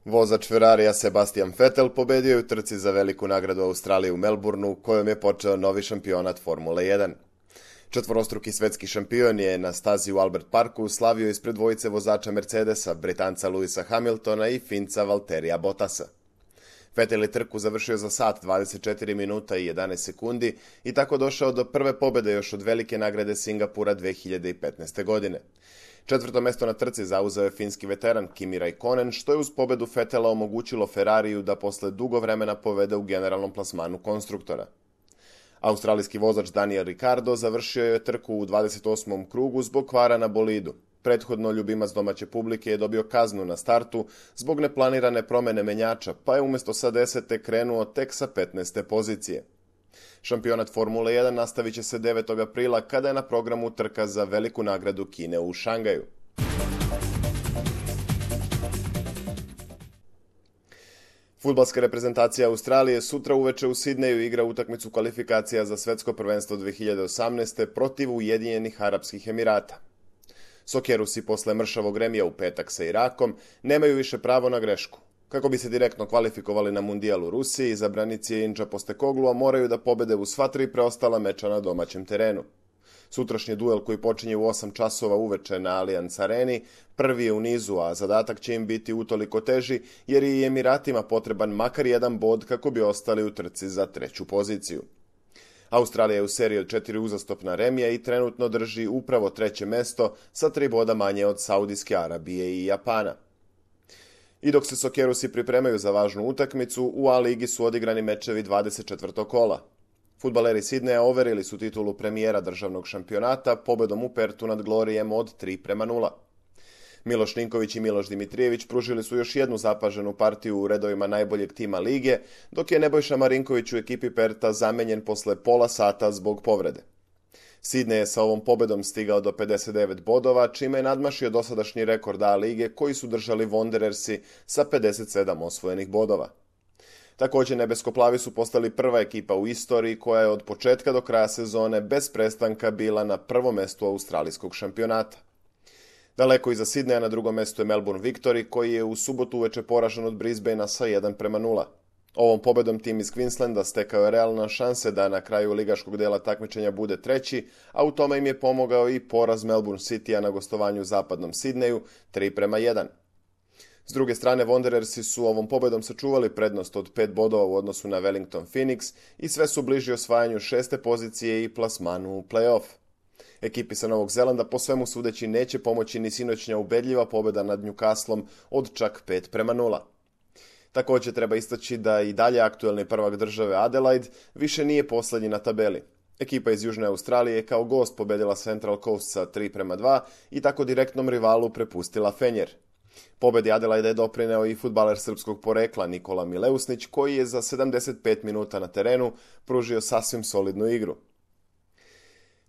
Vozač Ferrarija Sebastian Vettel pobedio je u trci za veliku nagradu Australije u Melbourneu, kojom je počeo novi šampionat Formule 1. Četvorostruki svetski šampion je na stazi u Albert Parku slavio ispred dvojice vozača Mercedesa, Britanca Lewisa Hamiltona i Finca Valtterija Bottasa. Vettel je trku završio za sat 24 minuta i 11 sekundi i tako došao do prve pobjede još od velike nagrade Singapura 2015. godine. Četvrto mesto na trci zauzeo je finski veteran Kimi Raikkonen, što je uz pobedu Vettela omogućilo Ferrariju da posle dugo vremena povede u generalnom plasmanu konstruktora. Australijski vozač Daniel Ricciardo završio je trku u 28. krugu zbog kvara na bolidu. Prethodno ljubimac domaće publike je dobio kaznu na startu zbog neplanirane promene menjača, pa je umjesto sa 10. krenuo tek sa 15. pozicije. Šampionat Formule 1 nastavit će se 9. aprila kada je na programu trka za veliku nagradu Kine u Šangaju. Fudbalska reprezentacija Australije sutra uveče u Sidneju igra utakmicu kvalifikacija za svetsko prvenstvo 2018. protiv Ujedinjenih Arapskih Emirata. Sokerusi posle mršavog remija u petak sa Irakom nemaju više pravo na grešku. Kako bi se direktno kvalifikovali na mundijal u Rusiji, izabranici Inča Postekoglua moraju da pobede u sva 3 preostala meča na domaćem terenu. Sutrašnji duel koji počinje u 8 časova uveče na Allianz Areni prvi je u nizu, a zadatak će im biti utoliko teži jer je i Emiratima potreban makar jedan bod kako bi ostali u trci za 3. poziciju. Australija je u seriji od 4 uzastopna remija i trenutno drži upravo 3. mesto sa 3 boda manje od Saudijske Arabije i Japana. I dok se Sokerusi pripremaju za važnu utakmicu, u A-ligi su odigrani mečevi 24. kola. Fudbaleri Sidneja overili su titulu premijera državnog šampionata pobedom u Pertu nad Glorijem od 3:0. Miloš Ninković i Miloš Dimitrijević pružili su još jednu zapaženu partiju u redovima najboljeg tima lige, dok je Nebojša Marinković u ekipi Perta zamenjen posle pola sata zbog povrede. Sidney je sa ovom pobedom stigao do 59 bodova, čime je nadmašio dosadašnji rekord A lige koji su držali Wanderersi sa 57 osvojenih bodova. Također nebeskoplavi su postali prva ekipa u istoriji koja je od početka do kraja sezone bez prestanka bila na prvom mestu australijskog šampionata. Daleko iza Sidneja na drugom mestu je Melbourne Victory koji je u subotu uveče poražen od Brisbanea sa 1:0. Ovom pobedom tim iz Queenslanda stekao je realna šanse da na kraju ligaškog dela takmičenja bude 3, a u tome im je pomogao i poraz Melbourne Citya na gostovanju u zapadnom Sidneju 3:1. S druge strane, Wanderersi su ovom pobedom sačuvali prednost od 5 bodova u odnosu na Wellington Phoenix i sve su bliži osvajanju 6. pozicije i plasmanu u play-off. Ekipi sa Novog Zelanda po svemu sudeći neće pomoći ni sinoćnja ubedljiva pobeda nad Newcastlom od čak 5:0. Također treba istaći da i dalje aktuelni prvak države Adelaide više nije posljednji na tabeli. Ekipa iz Južne Australije je kao gost pobedila Central Coast sa 3:2 i tako direktnom rivalu prepustila Fenjer. Pobedi Adelaide je doprineo i fudbaler srpskog porekla Nikola Mileusnić koji je za 75 minuta na terenu pružio sasvim solidnu igru.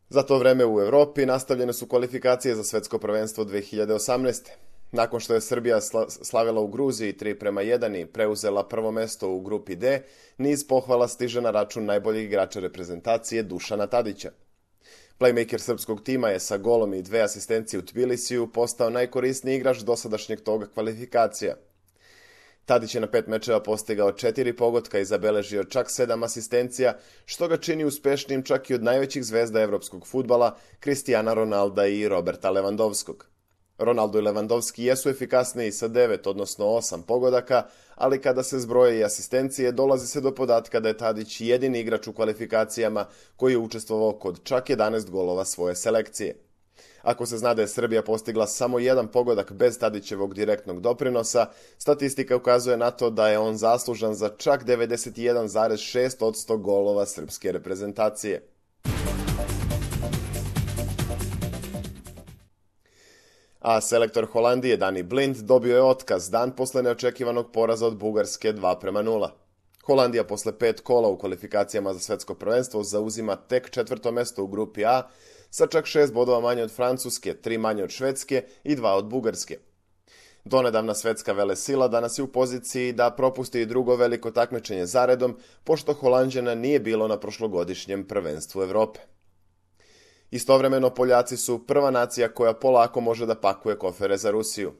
Za to vreme u Europi nastavljene su kvalifikacije za svetsko prvenstvo 2018. Nakon što je Srbija slavila u Gruziji 3:1 i preuzela prvo mesto u grupi D, niz pohvala stiže na račun najboljeg igrača reprezentacije Dušana Tadića. Playmaker srpskog tima je sa golom i 2 asistencije u Tbilisiju postao najkorisniji igrač dosadašnjeg toga kvalifikacija. Tadić je na 5 mečeva postigao 4 pogotka i zabeležio čak 7 asistencija, što ga čini uspešnijim čak i od najvećih zvezda evropskog fudbala, Cristiana Ronalda i Roberta Lewandowskog. Ronaldo i Lewandowski jesu efikasniji sa 9, odnosno 8 pogodaka, ali kada se zbroje i asistencije, dolazi se do podatka da je Tadić jedini igrač u kvalifikacijama koji je učestvovao kod čak 11 golova svoje selekcije. Ako se zna da je Srbija postigla samo 1 pogodak bez Tadićevog direktnog doprinosa, statistika ukazuje na to da je on zaslužan za čak 91,6% golova srpske reprezentacije. A selektor Holandije Danny Blind dobio je otkaz dan posle neočekivanog poraza od Bugarske 2:0. Holandija posle 5 kola u kvalifikacijama za svetsko prvenstvo zauzima tek 4. mesto u grupi A sa čak 6 bodova manje od Francuske, 3 manje od Švedske i 2 od Bugarske. Donedavna svetska velesila danas je u poziciji da propusti i drugo veliko takmičenje zaredom, pošto Holanđana nije bilo na prošlogodišnjem prvenstvu Evrope. Istovremeno Poljaci su prva nacija koja polako može da pakuje kofere za Rusiju.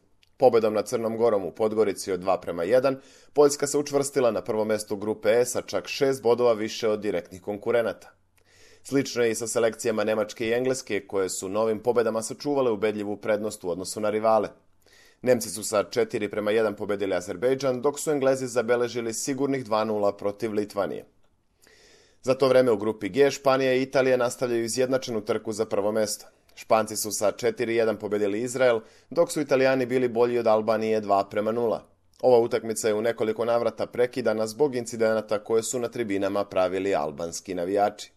Pobedom nad Crnom Gorom u Podgorici od 2:1, Poljska se učvrstila na prvo mesto grupe E sa čak 6 bodova više od direktnih konkurenata. Slično je i sa selekcijama Nemačke i Engleske, koje su novim pobedama sačuvale ubedljivu prednost u odnosu na rivale. Nemci su sa 4:1 pobedili Azerbejdžan, dok su Englezi zabeležili sigurnih 2:0 protiv Litvanije. Za to vreme u grupi G Španija i Italija nastavljaju izjednačenu trku za prvo mesto. Španci su sa 4:1 pobedili Izrael, dok su Italijani bili bolji od Albanije 2:0. Ova utakmica je u nekoliko navrata prekidana zbog incidenata koje su na tribinama pravili albanski navijači.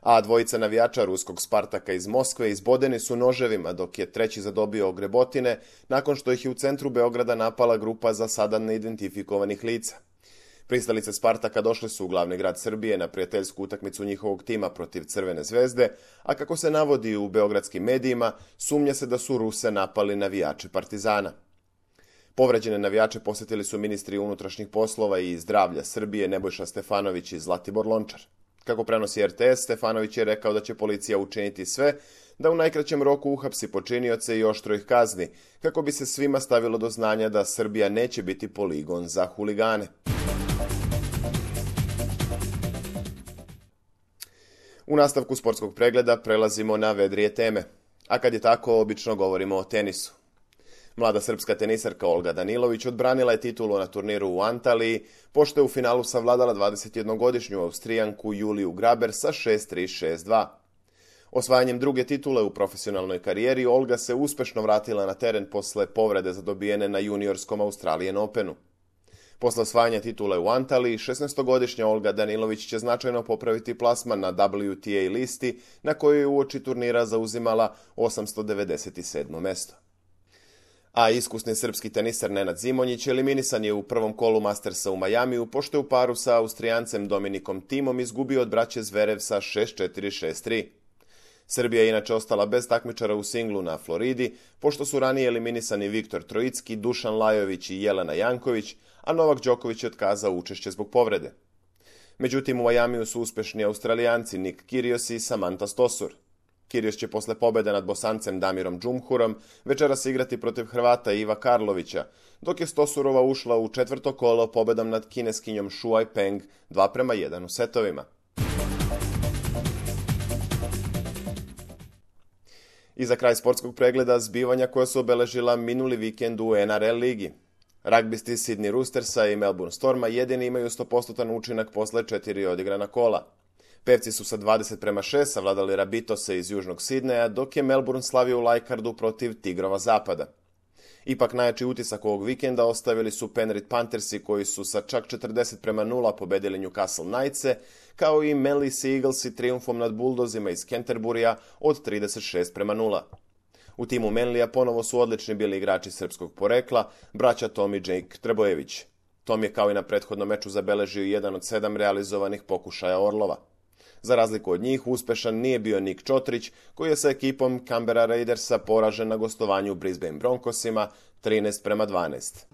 A dvojica navijača ruskog Spartaka iz Moskve izbodeni su noževima, dok je treći zadobio ogrebotine nakon što ih je u centru Beograda napala grupa za sada neidentifikovanih lica. Pristalice Spartaka došli su u glavni grad Srbije na prijateljsku utakmicu njihovog tima protiv Crvene zvezde, a kako se navodi u beogradskim medijima, sumnja se da su Ruse napali navijači Partizana. Povređene navijače posjetili su ministri unutrašnjih poslova i zdravlja Srbije Nebojša Stefanović i Zlatibor Lončar. Kako prenosi RTS, Stefanović je rekao da će policija učiniti sve da u najkraćem roku uhapsi počinioce i oštro ih kazni, kako bi se svima stavilo do znanja da Srbija neće biti poligon za huligane. U nastavku sportskog pregleda prelazimo na vedrije teme, a kad je tako, obično govorimo o tenisu. Mlada srpska tenisarka Olga Danilović odbranila je titulu na turniru u Antaliji, pošto je u finalu savladala 21-godišnju Austrijanku Juliju Graber sa 6:3, 6:2. Osvajanjem druge titule u profesionalnoj karijeri, Olga se uspešno vratila na teren posle povrede zadobijene na juniorskom Australian Openu. Posle osvajanja titule u Antaliji, 16-godišnja Olga Danilović će značajno popraviti plasman na WTA listi, na kojoj je uoči turnira zauzimala 897. mesto. A iskusni srpski tenisar Nenad Zimonjić eliminisan je u prvom kolu Mastersa u Majamiju, pošto je u paru sa Austrijancem Dominikom Thimom izgubio od braće Zverev sa 6:4, 6:3. Srbija je inače ostala bez takmičara u singlu na Floridi, pošto su ranije eliminisani Viktor Trojicki, Dušan Lajović i Jelena Janković, a Novak Đoković je otkazao učešće zbog povrede. Međutim, u Majamiju su uspešni Australijanci Nick Kyrgios i Samantha Stosur. Kyrgios će posle pobjede nad Bosancem Damirom Džumhurom večeras igrati protiv Hrvata Iva Karlovića, dok je Stosurova ušla u četvrto kolo pobjedom nad Kineskinjom Shuai Peng 2:1 u setovima. I za kraj sportskog pregleda zbivanja koja su obeležila minuli vikend u NRL ligi. Ragbisti Sydney Roostersa i Melbourne Storma jedini imaju 100% učinak posle 4 odigrana kola. Pevci su sa 20:6 savladali Rabitose iz Južnog Sidneja, dok je Melbourne slavio u Leicardu protiv Tigrova Zapada. Ipak najjači utisak ovog vikenda ostavili su Penrith Panthersi, koji su sa čak 40:0 pobedili Newcastle Knightse, kao i Manly Sea Eaglesi trijumfom nad Bulldozima iz Canterburya od 36:0. U timu Manlija ponovo su odlični bili igrači srpskog porekla, braća Tom i Jake Trebojević. Tom je kao i na prethodnom meču zabeležio jedan od 7 realizovanih pokušaja Orlova. Za razliku od njih, uspešan nije bio Nik Čotrić, koji je sa ekipom Canberra Raidersa poražen na gostovanju u Brisbane Broncosima 13:12.